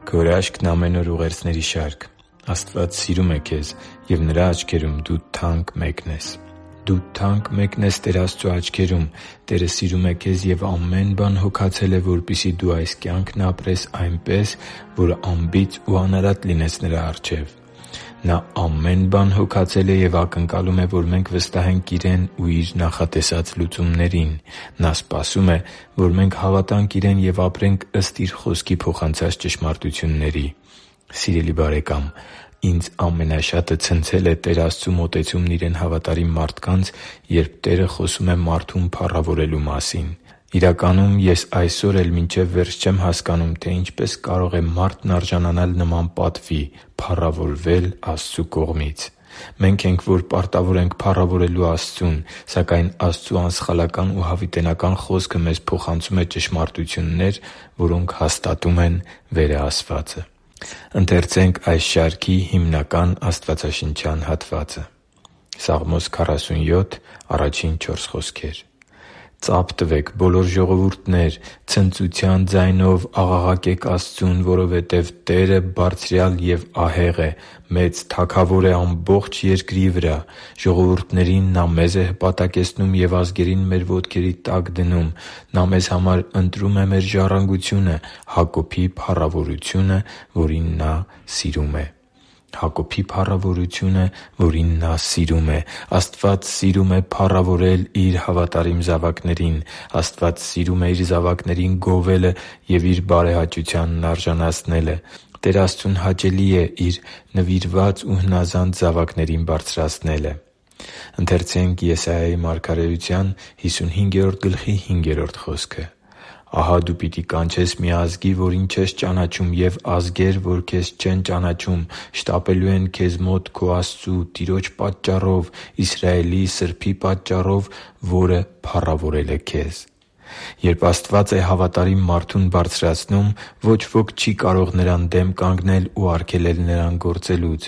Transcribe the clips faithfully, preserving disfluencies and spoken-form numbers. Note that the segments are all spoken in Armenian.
Քո հրաշքն ամեն օր ուղերձների շարք։ Աստված սիրում է քեզ, և Նրա աչքերում դու թանկ մեկն ես։ Դու թանկ մեկն ես Տեր Աստծու աչքերում։ Տերը սիրում է քեզ և ամեն բան հոգացել է, որպեսզի դու այս կյանքն ապրես այնպես, որ անբիծ ու անարատ լինես Նրա առջև։ Նա ամեն բան հոգացել է և ակնկալում է, որ մենք վստահենք Իրեն ու Իր նախատեսած լուծումներին։ Նա սպասում է, որ մենք հավատանք Իրեն և ապրենք ըստ Իր Խոսքի փոխանցած ճշմարտությունների։ Սիրելի՛ բարեկամ, ինձ ամենաշատը ցնցել է Տեր Աստծու մոտեցումն Իրեն հավատարիմ մարդկանց, երբ Տերը խոսում է մարդուն փառավորելու մասին։ Իրականում, ես այսօր էլ մինչև վերջ չեմ հասկանում, թե ինչպես կարող է մարդն արժանանալ նման պատվի՝ փառավորվել Աստծու կողմից։ Մենք ենք, որ պարտավոր ենք փառավորելու Աստծուն, սակայն Աստծու անսխալական ու հավիտենական Խոսքը մեզ փոխանցում է ճշմարտություններ, որոնք հաստատում են վերը ասվածը։ «Ծա՛փ տվեք, բոլո՛ր ժողովուրդներ, ցնծության ձայնով աղաղակե՛ք Աստծուն, որովհետև Տերը Բարձրյալ և ահեղ է, մեծ Թագավոր է ամբողջ երկրի վրա։ Ժողովուրդներին Նա մեզ է հպատակեցնում և ազգերին մեր ոտքերի տակ դնում։ Նա մեզ համար ընտրում է մեր ժառանգությունը, Հակոբի փառավորությունը, որին Նա սիրում է» (Սաղմոս քառասունյոթ առաջին չորս խոսքեր)։ Հակոբի փառավորությունը, որին Նա սիրում է։ Աստված սիրում է փառավորել Իր հավատարիմ զավակներին։ Աստված սիրում է Իր զավակներին գովելը և Իր բարեհաճությանն արժանացնելը։ Տեր Աստծուն հաճելի է Իր նվիրված ու հնազանդ զավակներին բարձրացնելը։ «Ահա դու պիտի կանչես մի ազգի, որին չես ճանաչում, և ազգեր, որ քեզ չեն ճանաչում, շտապելու են քեզ մոտ քո Աստծու՝ Տիրոջ պատճառով, Իսրայելի Սրբի պատճառով, որը փառավորել է քեզ» (Եսայիա մարգարեության հիսուն հինգերորդ գլխի հինգերորդ խոսքը)։ Երբ Աստված է հավատարիմ մարդուն բարձրացնում, ոչ ոք չի կարող նրան դեմ կանգնել ու արգելել նրան գործելուց։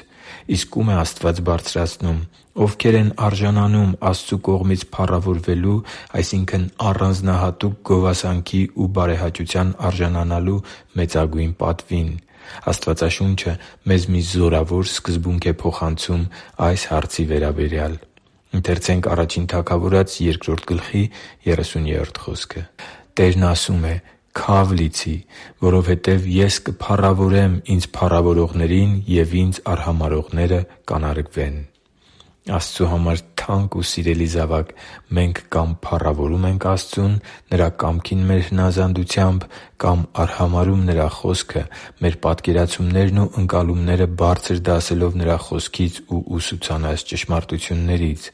Իսկ ո՞ւմ է Աստված բարձրացնում։ Ովքե՞ր են արժանանում Աստծու կողմից փառավորվելու, այսինքն՝ առանձնահատուկ գովասանքի ու բարեհաճության արժանանալու մեծագույն պատվին։ Աստվածաշունչը մեզ մի զորավոր սկզբունք է փոխանցում այս հարցի վերաբերյալ. «Տերն ասում է. «Քա՛վ լիցի, որովհետև Ես կփառավորեմ Ինձ փառավորողներին, և Ինձ արհամարհողները կանարգվեն» (Ա Թագավորաց երկրորդ գլխի երեսունյոթ խոսքը)։ Աստծու համար թանկ ու սիրելի՛ զավակ, մենք կամ փառավորում ենք Աստծուն՝ Նրա կամքին մեր հնազանդությամբ, կամ արհամարհում Նրա Խոսքը՝ մեր պատկերացումներն ու ընկալումները բարձր դասելով Նրա Խոսքից ու ուսուցանած ճշմարտություններից։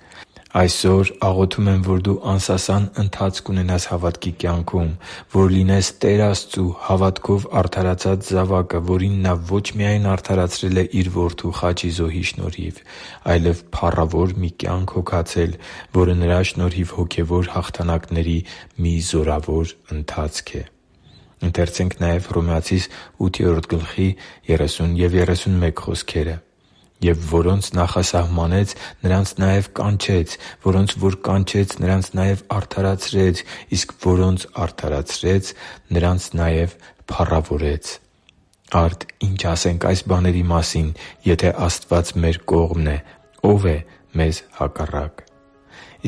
Այսօր աղոթում եմ, որ դու անսասան ընթացք ունենաս հավատքի կյանքում, որ լինես Տեր Աստծու հավատքով արդարացած զավակը, որին Նա ոչ միայն արդարացրել է Իր Որդու խաչի զոհի շնորհիվ, այլև փառավոր մի կյանք հոգացել, որը Նրա շնորհիվ հոգևոր հաղթանակների մի զորավոր ընթացք է։ «Եվ որոնց նախասահմանեց, նրանց նաև կանչեց, որոնց որ կանչեց, նրանց նաև արդարացրեց, իսկ որոնց արդարացրեց, նրանց նաև փառավորեց» (Հռոմեացիս ութ որդի երեսուն մեկը)։ Արդ ի՞նչ ասենք այս բաների մասին։ Եթե Աստված մեր կողմն է, ո՞վ է մեզ հակառակ։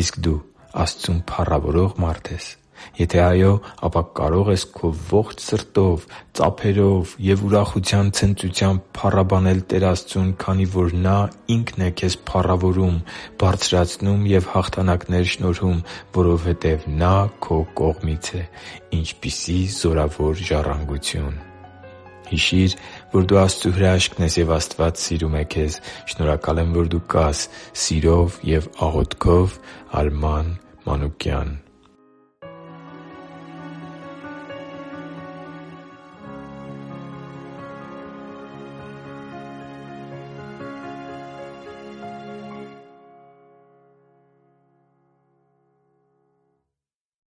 Իսկ դու Աստծուն փառավորո՞ղ մարդ ես։ Եթե այո, ապա կարո՞ղ ես քո ողջ սրտով, ծափերով և ուրախության ցնծությամբ փառաբանել Տեր Աստծուն, քանի որ Նա Ինքն է քեզ փառավորում, բարձրացնում և հաղթանակներ շնորհում, որովհետև Նա քո կողմից է։ Ինչպիսի՜ զորավոր ժառանգություն։ Հիշի՛ր, որ դու Աստծո հրաշքն ես, և Աստված սիրում է քեզ։ Շնորհակալ եմ, որ դու կա՛ս։ Սիրով և աղոթքով, Արման Մանուկյան։